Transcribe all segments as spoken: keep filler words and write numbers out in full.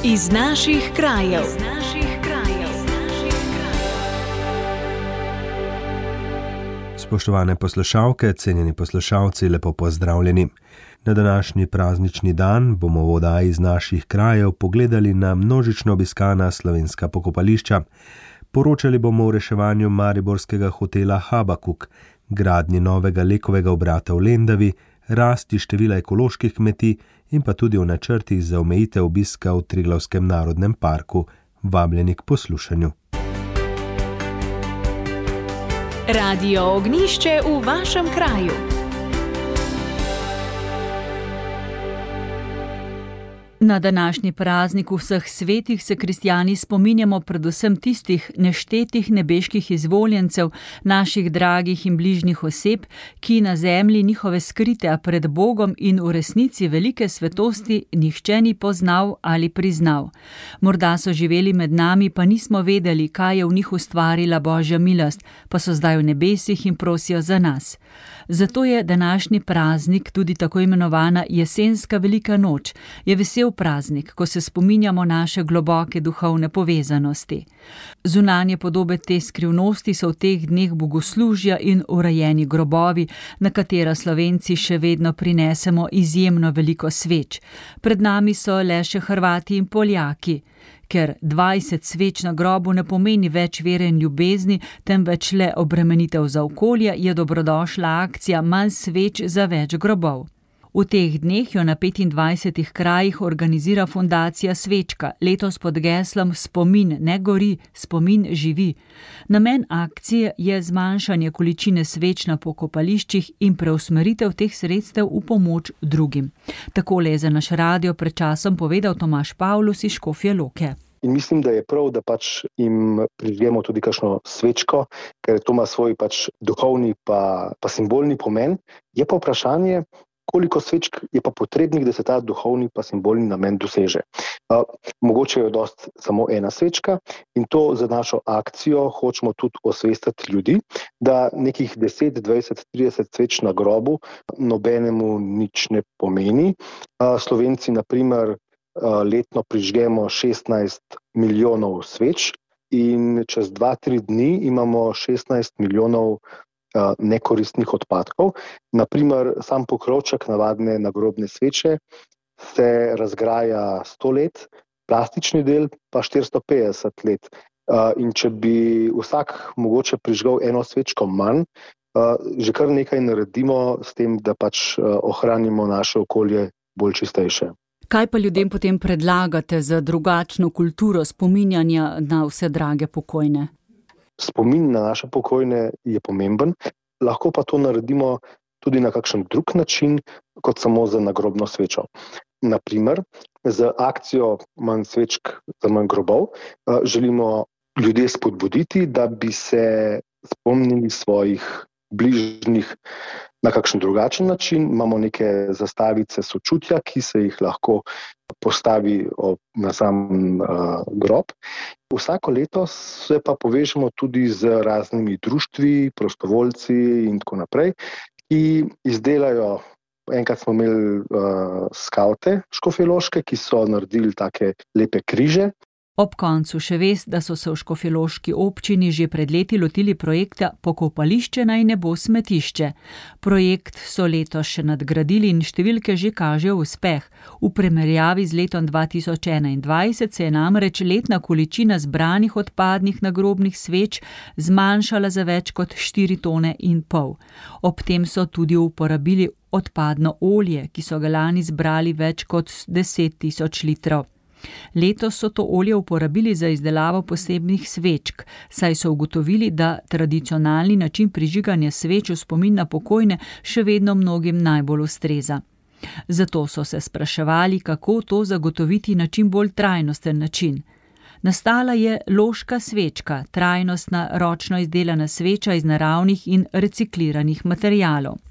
Iz naših krajev. Iz naših krajev. Spoštovane poslušalke, cenjeni poslušalci, lepo pozdravljeni. Na današnji praznični dan bomo v oddaji Iz naših krajev pogledali na množično obiskana slovenska pokopališča. Poročali bomo o reševanju mariborskega hotela Habakuk, gradnji novega lekovega obrata v Lendavi, rasti števila ekoloških kmetij in pa tudi o načrtih za omejitev obiska v Triglavskem narodnem parku. Vabljeni k poslušanju. Radio Ognjišče v vašem kraju. Na današnji praznik vseh svetih se kristjani spominjamo predvsem tistih neštetih nebeških izvoljencev, naših dragih in bližnjih oseb, ki na zemlji njihove skrite, a pred Bogom in v resnici velike svetosti nihče ni poznal ali priznal. Morda so živeli med nami, pa nismo vedeli, kaj je v njih ustvarila Božja milost, pa so zdaj v nebesih in prosijo za nas. Zato je današnji praznik tudi tako imenovana jesenska velika noč, je vesel praznik, ko se spominjamo naše globoke duhovne povezanosti. Zunanje podobe te skrivnosti so v teh dneh bogoslužja in urejeni grobovi, na katera Slovenci še vedno prinesemo izjemno veliko sveč. Pred nami so le še Hrvati in Poljaki. Ker dvajset sveč na grobu ne pomeni več vere in ljubezni, temveč le obremenitev za okolje, je dobrodošla akcija Manj sveč za več grobov. V teh dneh jo na petindvajsetih krajih organizira fundacija Svečka, letos pod geslom Spomin ne gori, spomin živi. Namen akcije je zmanjšanje količine sveč na pokopališčih in preusmeritev teh sredstev v pomoč drugim. Takole je za naš radio pred časom povedal Tomaž Pavlus iz Škofje Loke. In mislim, da je prav, da pač jim prižgemo tudi kakšno svečko, ker to ima svoj pač duhovni pa, pa simbolni pomen. Je pa vprašanje, koliko svečk je pa potrebnih, da se ta duhovni pa simbolni namen doseže. Uh, mogoče je dost samo ena svečka in to za našo akcijo hočemo tudi osvestiti ljudi, da nekih deset, dvajset, trideset sveč na grobu nobenemu nič ne pomeni. Uh, Slovenci, na primer, uh, letno prižgemo šestnajst milijonov sveč in čez dva, tri dni imamo šestnajst milijonov nekoristnih odpadkov. Naprimer, sam pokrovček navadne nagrobne sveče se razgraja sto let, plastični del pa štiristo petdeset let. In če bi vsak mogoče prižgal eno svečko manj, že kar nekaj naredimo s tem, da pač ohranimo naše okolje bolj čistejše. Kaj pa ljudem potem predlagate za drugačno kulturo spominjanja na vse drage pokojne? Spomin na naše pokojne je pomemben, lahko pa to naredimo tudi na kakšen drug način, kot samo za nagrobno svečo. Naprimer, z akcijo Manj svečk za manj grobov želimo ljudje spodbuditi, da bi se spomnili svojih bližnjih na kakšen drugačen način. Imamo neke zastavice sočutja, ki se jih lahko postavi na sam uh, grob. Vsako leto se pa povežemo tudi z raznimi društvi, prostovoljci in tako naprej, ki izdelajo, enkrat smo imeli uh, skavte škofjeloške, ki so naredili take lepe križe. Ob koncu še vest, da so se v škofjeloški občini že pred leti lotili projekta Pokopališče naj ne bo smetišče. Projekt so letos še nadgradili in številke že kažejo uspeh. V primerjavi z letom dva tisoč enaindvajset se je namreč letna količina zbranih odpadnih nagrobnih sveč zmanjšala za več kot štiri tone in pol. Ob tem so tudi uporabili odpadno olje, ki so ga lani zbrali več kot deset tisoč litrov. Letos so to olje uporabili za izdelavo posebnih svečk, saj so ugotovili, da tradicionalni način prižiganja sveč v spomin na pokojne še vedno mnogim najbolj ustreza. Zato so se spraševali, kako to zagotoviti na čim bolj trajnosten način. Nastala je loška svečka, trajnostna ročno izdelana sveča iz naravnih in recikliranih materialov.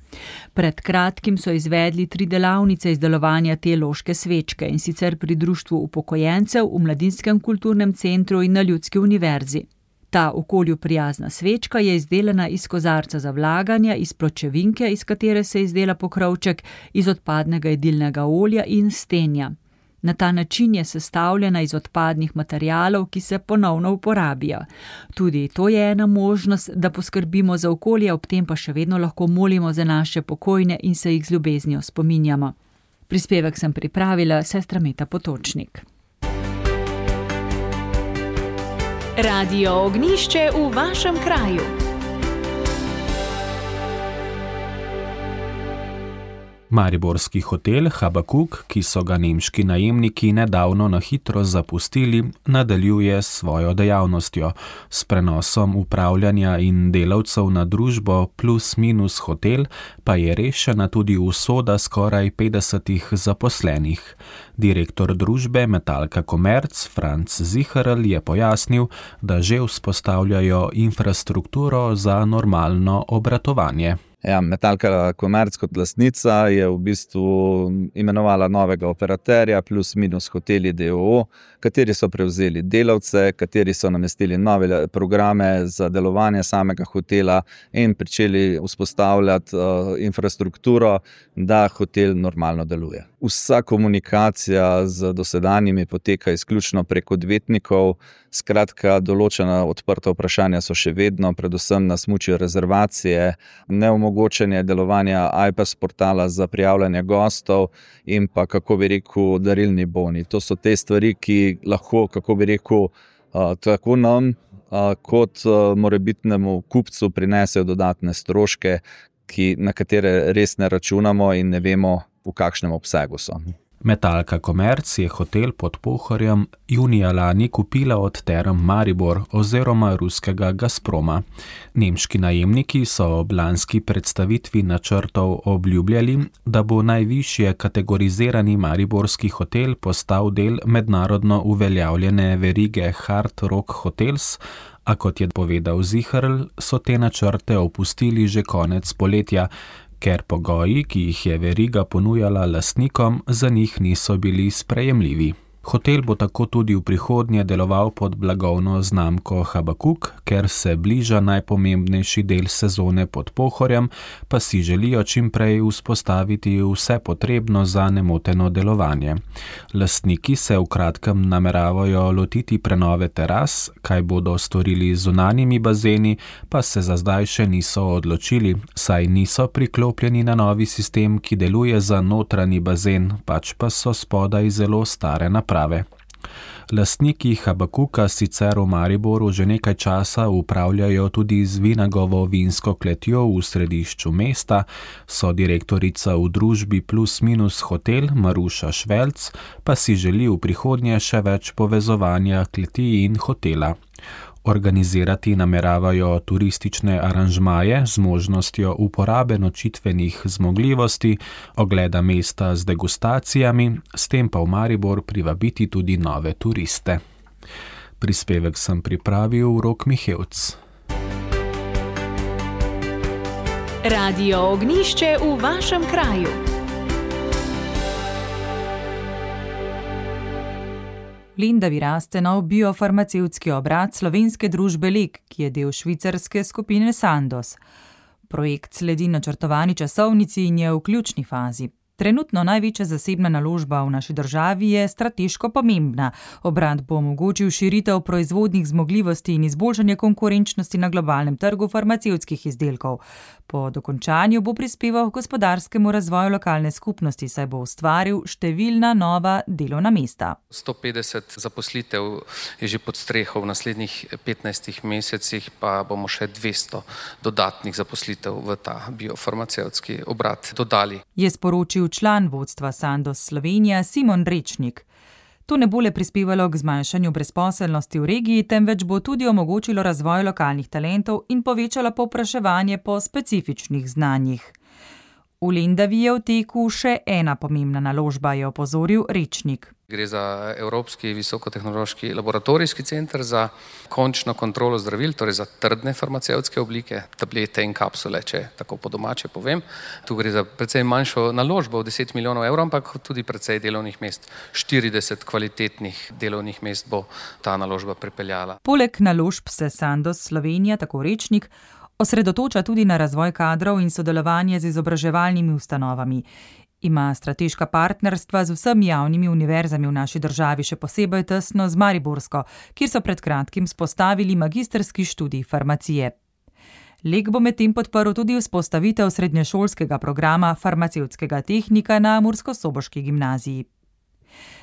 Pred kratkim so izvedli tri delavnice izdelovanja te loške svečke, in sicer pri Društvu upokojencev, v Mladinskem kulturnem centru in na Ljudski univerzi. Ta okolju prijazna svečka je izdelana iz kozarca za vlaganje, iz pločevinke, iz katere se izdela pokrovček, iz odpadnega jedilnega olja in stenja. Na ta način je sestavljena iz odpadnih materialov, ki se ponovno uporabijo. Tudi to je ena možnost, da poskrbimo za okolje, ob tem pa še vedno lahko molimo za naše pokojne in se jih z ljubeznijo spominjamo. Prispevek sem pripravila sestra Meta Potočnik. Radio Ognjišče v vašem kraju. Mariborski hotel Habakuk, ki so ga nemški najemniki nedavno na hitro zapustili, nadaljuje s svojo dejavnostjo. S prenosom upravljanja in delavcev na družbo Plus Minus Hotel pa je rešena tudi usoda skoraj petdesetih zaposlenih. Direktor družbe Metalka Komerc Franc Ziherl je pojasnil, da že vzpostavljajo infrastrukturo za normalno obratovanje. Ja, Metalka Komerc kot lastnica je v bistvu imenovala novega operaterja Plus Minus Hoteli d. o. o., kateri so prevzeli delavce, kateri so namestili nove programe za delovanje samega hotela in pričeli vzpostavljati uh, infrastrukturo, da hotel normalno deluje. Vsa komunikacija z dosedanjimi poteka izključno prek odvetnikov, skratka določena odprta vprašanja so še vedno, predvsem nas mučijo rezervacije, neomogočenje delovanja i p e s portala za prijavljanje gostov in pa, kako bi rekel, darilni boni. To so te stvari, ki lahko, kako bi rekel, tako nam kot morebitnemu kupcu prinesejo dodatne stroške, ki, na katere res ne računamo in ne vemo, v kakšnem obsegu so. Metalka Komerc je hotel pod Pohorjem junija lani kupila od Term Maribor oziroma ruskega Gazproma. Nemški najemniki so ob lanski predstavitvi načrtov obljubljali, da bo najvišje kategorizirani mariborski hotel postal del mednarodno uveljavljene verige Hard Rock Hotels, a kot je povedal Ziherl, so te načrte opustili že konec poletja, ker pogoji, ki jih je veriga ponujala lastnikom, za njih niso bili sprejemljivi. Hotel bo tako tudi v prihodnje deloval pod blagovno znamko Habakuk, ker se bliža najpomembnejši del sezone pod Pohorjem, pa si želijo čim prej vzpostaviti vse potrebno za nemoteno delovanje. Lastniki se v kratkem nameravajo lotiti prenove teras, kaj bodo storili z zunanjimi bazeni, pa se za zdaj še niso odločili, saj niso priklopljeni na novi sistem, ki deluje za notranji bazen, pač pa so spodaj zelo stare naprave. Lastniki Habakuka sicer v Mariboru že nekaj časa upravljajo tudi z Vinagovo vinsko kletjo v središču mesta, so direktorica v družbi Plus Minus Hotel Maruša Švelc, pa si želi v prihodnje še več povezovanja kleti in hotela. Organizirati nameravajo turistične aranžmaje z možnostjo uporabe nočitvenih zmogljivosti, ogleda mesta z degustacijami, s tem pa v Maribor privabiti tudi nove turiste. Prispevek sem pripravil Rok Mihevc. Radio Ognjišče v vašem kraju. V Lendavi raste nov biofarmacevtski obrat slovenske družbe Lek, ki je del švicarske skupine Sandoz. Projekt sledi načrtovani časovnici in je v ključni fazi. Trenutno največja zasebna naložba v naši državi je strateško pomembna. Obrat bo omogočil širitev proizvodnih zmogljivosti in izboljšanje konkurenčnosti na globalnem trgu farmacevtskih izdelkov. Po dokončanju bo prispeval k gospodarskemu razvoju lokalne skupnosti, saj bo ustvaril številna nova delovna mesta. sto petdeset zaposlitev je že pod streho, v naslednjih petnajstih mesecih pa bomo še dvesto dodatnih zaposlitev v ta biofarmacevtski obrat dodali. Je sporočil član vodstva Sandoz Slovenija Simon Rečnik. To ne bo le prispevalo k zmanjšanju brezposelnosti v regiji, temveč bo tudi omogočilo razvoj lokalnih talentov in povečalo povpraševanje po specifičnih znanjih. V Lendavi je v teku še ena pomembna naložba, je opozoril Rečnik. Gre za Evropski visokotehnološki laboratorijski center za končno kontrolo zdravil, torej za trdne farmacevtske oblike, tablete in kapsule, če tako po domače povem. Tu gre za precej manjšo naložbo v deset milijonov evrov, ampak tudi precej delovnih mest. štirideset kvalitetnih delovnih mest bo ta naložba pripeljala. Poleg naložb se Sandoz Slovenija, tako Rečnik, osredotoča tudi na razvoj kadrov in sodelovanje z izobraževalnimi ustanovami. Ima strateška partnerstva z vsemi javnimi univerzami v naši državi, še posebej tesno z mariborsko, kjer so pred kratkim spostavili magistrski študij farmacije. Lek bo medtem podprl tudi vzpostavitev srednješolskega programa farmacevtskega tehnika na murskosoboški gimnaziji.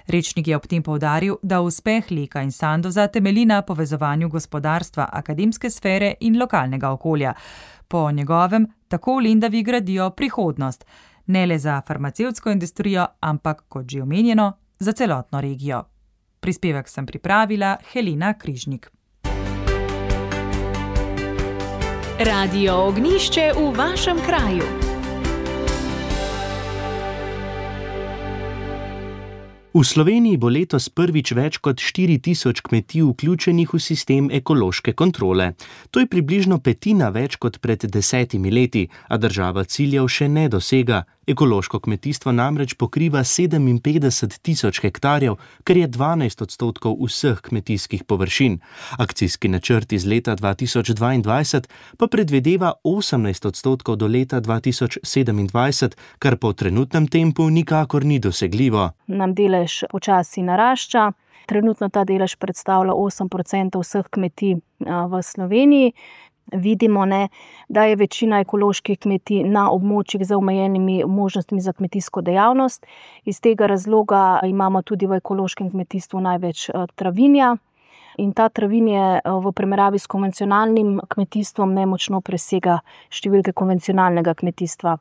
Rečnik je ob tem poudaril, da uspeh Leka in Sandoza temelji na povezovanju gospodarstva, akademske sfere in lokalnega okolja. Po njegovem tako v Lendavi gradijo prihodnost, ne le za farmacevtsko industrijo, ampak, kot že omenjeno, za celotno regijo. Prispevek sem pripravila Helena Križnik. Radio Ognjišče v vašem kraju. V Sloveniji bo letos prvič več kot štiri tisoč kmetij vključenih v sistem ekološke kontrole. To je približno petina več kot pred desetimi leti, a država ciljev še ne dosega. Ekološko kmetijstvo namreč pokriva sedeminpetdeset tisoč hektarjev, kar je dvanajst odstotkov vseh kmetijskih površin. Akcijski načrt iz leta dva tisoč dvaindvajset pa predvideva osemnajst odstotkov do leta dva tisoč sedemindvajset, kar po trenutnem tempu nikakor ni dosegljivo. Nam delež počasi narašča. Trenutno ta delež predstavlja osem procentov vseh kmetij v Sloveniji. Vidimo, ne, da je večina ekoloških kmetij na območjih z omejenimi možnostmi za kmetijsko dejavnost. Iz tega razloga imamo tudi v ekološkem kmetijstvu največ travinja. In ta travinje v primerjavi s konvencionalnim kmetijstvom nemočno presega številke konvencionalnega kmetijstva.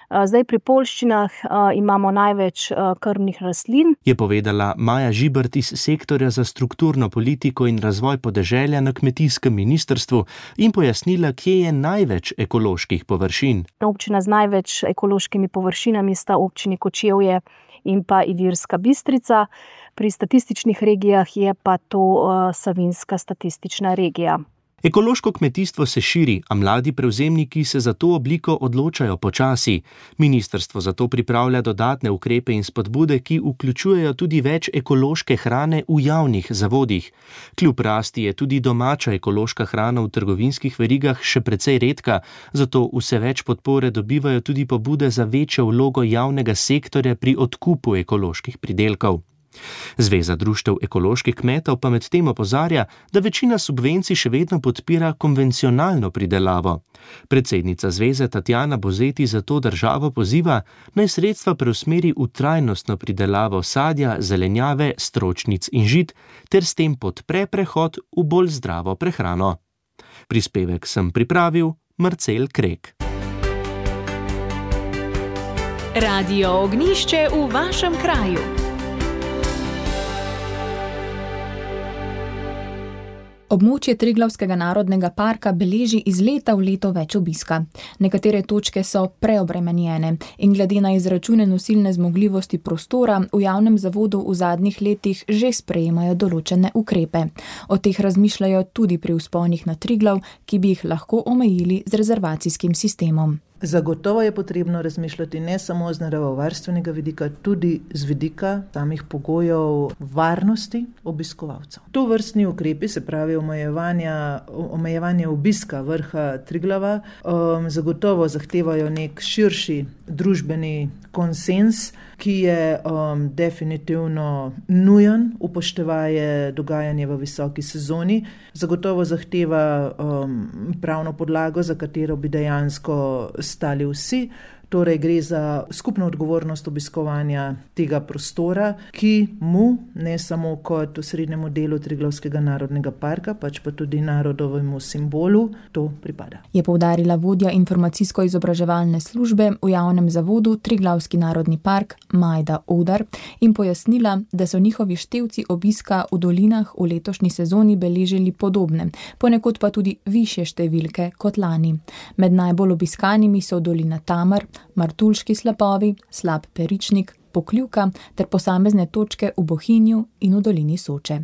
Zdaj pri poljščinah imamo največ krmnih rastlin. Je povedala Maja Žibert iz sektorja za strukturno politiko in razvoj podeželja na kmetijskem ministrstvu in pojasnila, kje je največ ekoloških površin. Občina z največ ekološkimi površinami sta občini Kočevje in pa Ilirska Bistrica. Pri statističnih regijah je pa to Savinjska statistična regija. Ekološko kmetijstvo se širi, a mladi prevzemniki se za to obliko odločajo počasi. Ministrstvo zato pripravlja dodatne ukrepe in spodbude, ki vključujejo tudi več ekološke hrane v javnih zavodih. Kljub rasti je tudi domača ekološka hrana v trgovinskih verigah še precej redka, zato vse več podpore dobivajo tudi pobude za večjo vlogo javnega sektorja pri odkupu ekoloških pridelkov. Zveza društev ekoloških kmetov pa medtem opozarja, da večina subvencij še vedno podpira konvencionalno pridelavo. Predsednica zveze Tatjana Bozeti zato državo poziva, naj sredstva preusmeri v trajnostno pridelavo sadja, zelenjave, stročnic in žit, ter s tem podpre prehod v bolj zdravo prehrano. Prispevek sem pripravil Marcel Krek. Radio Ognjišče v vašem kraju. Območje Triglavskega narodnega parka beleži iz leta v leto več obiska. Nekatere točke so preobremenjene in glede na izračune nosilne zmogljivosti prostora v javnem zavodu v zadnjih letih že sprejemajo določene ukrepe. O teh razmišljajo tudi pri vzponih na Triglav, ki bi jih lahko omejili z rezervacijskim sistemom. Zagotovo je potrebno razmišljati ne samo z naravovarstvenega vidika, tudi z vidika samih pogojev varnosti obiskovalcev. To vrstni ukrepi, se pravi omejevanje, omejevanje obiska vrha Triglava, um, zagotovo zahtevajo nek širši družbeni konsens, ki je um, definitivno nujen, upoštevaje dogajanje v visoki sezoni, zagotovo zahteva um, pravno podlago, za katero bi dejansko stali vsi. Torej gre za skupno odgovornost obiskovanja tega prostora, ki mu ne samo kot osrednjemu delu Triglavskega narodnega parka, pač pa tudi narodovemu simbolu to pripada. Je poudarila vodja informacijsko-izobraževalne službe v javnem zavodu Triglavski narodni park Majda Odar in pojasnila, da so njihovi števci obiska v dolinah v letošnji sezoni beležili podobne, ponekod pa tudi višje številke kot lani. Med najbolj obiskanimi so dolina Tamar, Martuljški slapovi, Slap Peričnik, Pokljuka ter posamezne točke v Bohinju in v dolini Soče.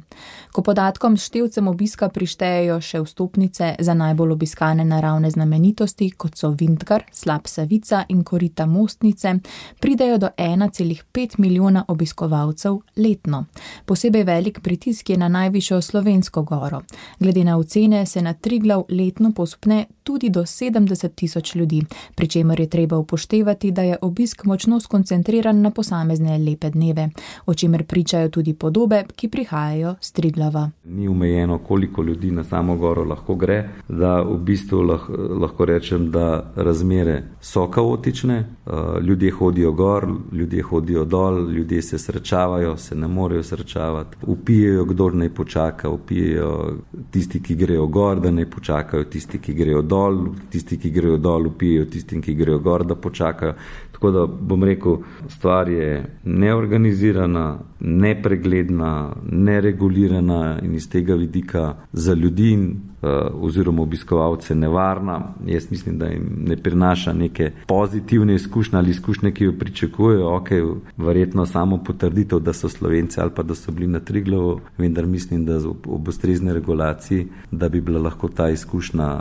Ko podatkom s števcem obiska prištejejo še vstopnice za najbolj obiskane naravne znamenitosti, kot so Vintgar, Slap Savica in korita Mostnice, pridejo do ena celih pet milijona obiskovalcev letno. Posebej velik pritisk je na najvišjo slovensko goro. Glede na ocene se na Triglav letno povzpne tudi do sedemdeset tisoč ljudi, pri čemer je treba upoštevati, da je obisk močno skoncentriran na posamezne lepe dneve, o čemer pričajo tudi podobe, ki prihajajo s Triglava. Ni omejeno, koliko ljudi na samo goro lahko gre, da v bistvu lahko, lahko rečem, da razmere so kaotične, ljudje hodijo gor, ljudje hodijo dol, ljudje se srečavajo, se ne morejo srečavati, upijejo, kdor naj počaka, upijejo tisti, ki grejo gor, da naj počakajo tisti, ki grejo dol, tisti, ki grejo dol, upijejo tistim, ki grejo gor, da počakajo. Tako da bom rekel, stvar je neorganizirana, nepregledna, neregulirana in iz tega vidika za ljudi oziroma obiskovalce nevarna. Jaz mislim, da jim ne prinaša neke pozitivne izkušnje ali izkušnje, ki jo pričakujejo. Ok, verjetno samo potrditev, da so Slovenci ali pa da so bili na Triglavu, vendar mislim, da ob ustrezni regulaciji, da bi bila lahko ta izkušnja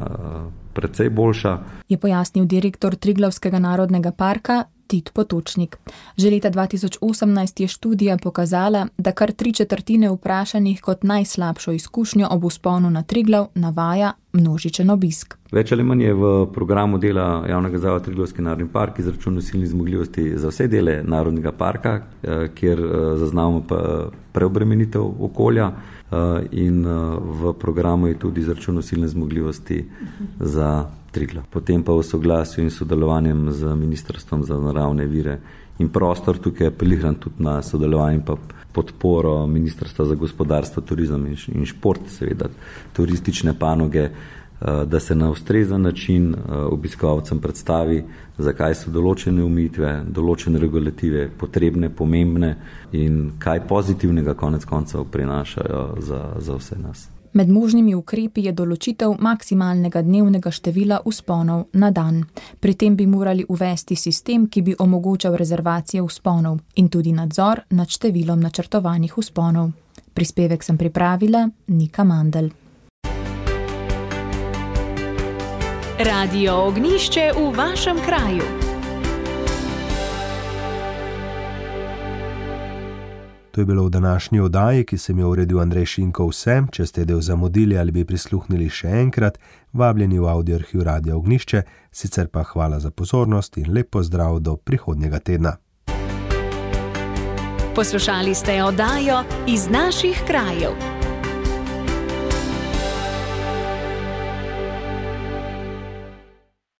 precej boljša. Je pojasnil direktor Triglavskega narodnega parka Tit Potočnik. Že leta dva tisoč osemnajst je študija pokazala, da kar tri četrtine vprašanih kot najslabšo izkušnjo ob vzponu na Triglav navaja množičen obisk. Več ali manj je v programu dela javnega zavoda Triglavski narodni park izračun nosilnih zmogljivosti za vse dele narodnega parka, kjer zaznavamo pa preobremenitev okolja, in v programu je tudi izračun nosilne zmogljivosti za Triglav. Potem pa v soglasju in sodelovanjem z Ministrstvom za naravne vire in prostor, tukaj apeliram tudi na sodelovanje pa podporo Ministrstva za gospodarstvo, turizem in šport, seveda turistične panoge, da se na ustrezen način obiskovalcem predstavi, zakaj so določene omejitve, določene regulative potrebne, pomembne in kaj pozitivnega konec koncev prinašajo za, za vse nas. Med možnimi ukrepi je določitev maksimalnega dnevnega števila vzponov na dan. Pri tem bi morali uvesti sistem, ki bi omogočal rezervacije vzponov in tudi nadzor nad številom načrtovanih vzponov. Prispevek sem pripravila Nika Mandl. Radio Ognjišče v vašem kraju. To je bilo v današnji oddaji, ki sem jo uredil Andrej Šinko vse. Če ste del zamudili ali bi prisluhnili še enkrat, vabljeni v audio arhiv Radia Ognjišče, sicer pa hvala za pozornost in lep pozdrav do prihodnjega tedna. Poslušali ste oddajo Iz naših krajev.